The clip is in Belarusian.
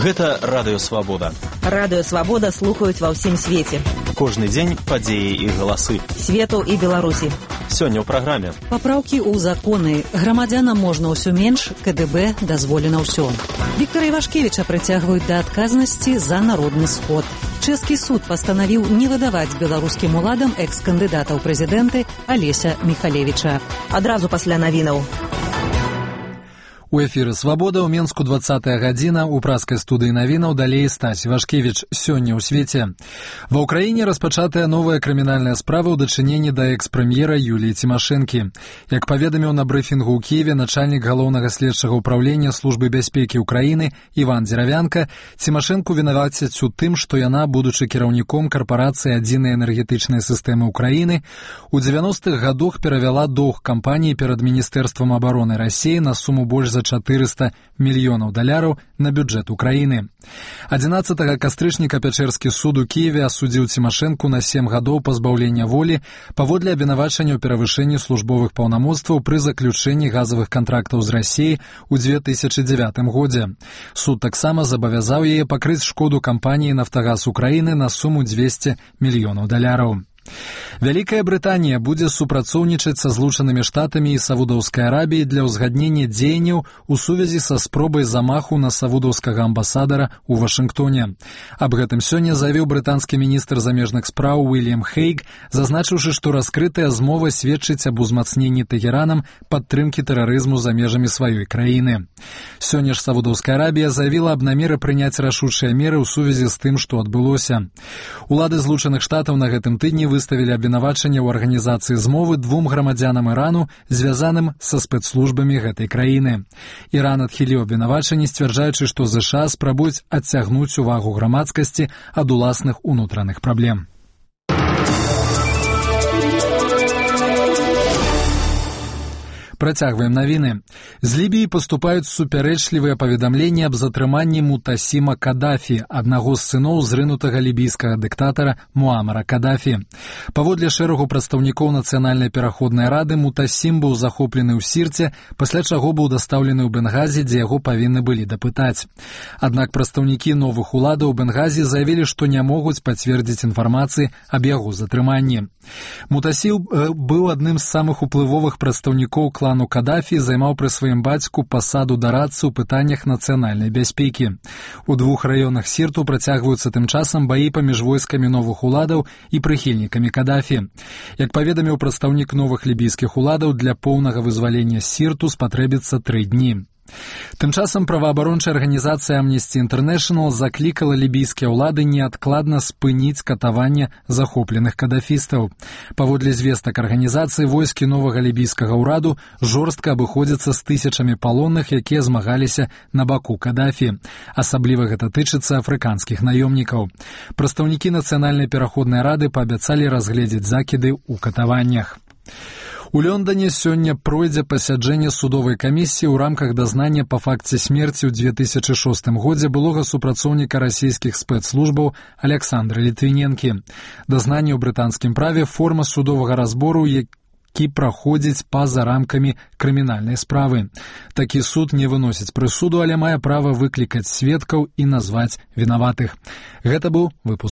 Гэта Радыё Свабода. Радыё Свабода слухаюць ва ўсім свеце. Кожны дзень падзеі і галасы Свету і Беларусі. Сёння ў праграме. Папраўкі ў законы. Грамадзянам можна ўсё менш, КДБ дазволена ўсё. Віктара Івашкевіча прыцягваюць да адказнасці за народны сход. Чэшскі суд пастанавіў не выдаваць беларускім уладам экс-кандыдата ў прэзідэнты Алеся Міхалевіча. Адразу пасля навінаў. У эфіры «Свабода» ў Менску 20-я гадзіна, у праскай студыі навінаў далей Стась Івашкевіч. Сёння ў свеце. Ва ўкраіне распачатая новая крымінальная справа ў дачыненні да экс-прэм'ера Юліі Цімашэнкі. Як паведаміў на брыфінгу ў Кіеве начальнік галоўнага следчага ўправлення Службы бяспекі ўкраіны Іван Дзеравянка, Цімашэнку вінавацяць у тым, што яна, будучы кіраўніком карпорацыі адзінай энергетычнай сістэмы ўкраіны, у 90-х гадах перавяла доўг кампаніі перад Міністэрствам абароны Расіі на суму больш за $400 мільёнаў на бюджэт Украіны. 11 кастрычніка Пячэрскі суд у Кіеве асудзіў Цімашэнку на 7 гадоў пазбаўлення волі паводле абвінавачання ў перавышэнні службовых паўнамоцтваў пры заключэнні газавых кантрактаў з Расіяй у 2009 годзе. Суд таксама забавязаў яе пакрыць шкоду кампаніі «Нафтагаз Украіны» на суму $200 мільёнаў. Вялікая Брытанія будзе супрацоўнічаць са Злучанымі Штатамі і Саудаўскай Арабіяй для ўзгаднення дзеянняў у сувязі са спробай замаху на саудаўскага амбасадара ў Вашынгтоне. Аб гэтым сёння заявіў брытанскі міністр замежных спраў Уільям Хейг, зазначыўшы, што раскрытая змова сведчыць аб узмацненні Тэхеранам падтрымкі тэрарызму за межамі сваёй краіны. Сёння ж Саудаўская Арабія заявіла аб намеры прыняць рашучыя меры ў сувязі з тым, што адбылося. Улады Злучаных Штатаў на гэтым тыдні выставілі абвінавачанне ў арганізацыі змовы 2 грамадзянам Ірану, звязаным са спецслужбамі гэтай краіны. Іран адхіліў абвінавачанні, сцвярджаючы, што ЗША спрабуюць адцягнуць увагу грамадскасці ад уласных унутраных праблем. Працягваем навіны. З Лібіі паступаюць супярэчлівыя паведамленні аб затрыманні Мутасіма Кадафі, аднаго з сыноў зрынутага лібійскага дыктатара Муамара Кадафі. Паводле шэрагу прадстаўнікоў Нацыянальнай пераходнай рады, Мутасім быў захоплены ў Сірце, пасля чаго быў дастаўлены ў Бенгазі, дзе яго павінны былі дапытаць. Аднак прадстаўнікі новых уладаў у Бенгазі заявілі, што не могуць пацвердзіць інфармацыі аб яго затрыманні. Мутасім быў адным з самых уплывовых прадстаўнікоў клану Кадафі, займаў пры сваім бацьку пасаду дарадцы ў пытаннях нацыянальнай бяспекі. У 2 раёнах Сірту працягваюцца тым часам баі паміж войскамі новых уладаў і прыхільнікамі Кадафі. Як паведаміў прадстаўнік новых лібійскіх уладаў, для поўнага вызвалення Сірту спатрэбіцца 3 дні. Тым часам праваабарончая арганізацыя Amnesty International заклікала лібійскія ўлады неадкладна спыніць катаванне захопленых кадафістаў. Паводле звестак арганізацыі, войскі новага лібійскага ўраду жорстка абыходзяцца з тысячамі палонных, якія змагаліся на баку Кадафі. Асабліва гэта тычыцца афрыканскіх наёмнікаў. Прадстаўнікі Нацыянальнай пераходнай рады паабяцалі разгледзець закіды ў катаваннях. У Лондоне сёння пройдзе пасяджэнне судовай камісіі ў рамках дазнання па факце смерці ў 2006 годзе былога супрацоўніка расійскіх спецслужбаў Александра Літвіненкі. Дазнанне ў брытанскім праве – форма судовага разбору, які праходзіць па-за рамкамі крымінальнай справы. Такі суд не выносіць прысуду, але мае права выклікаць сведкаў і назваць вінаватых. Гэта быў выпуск.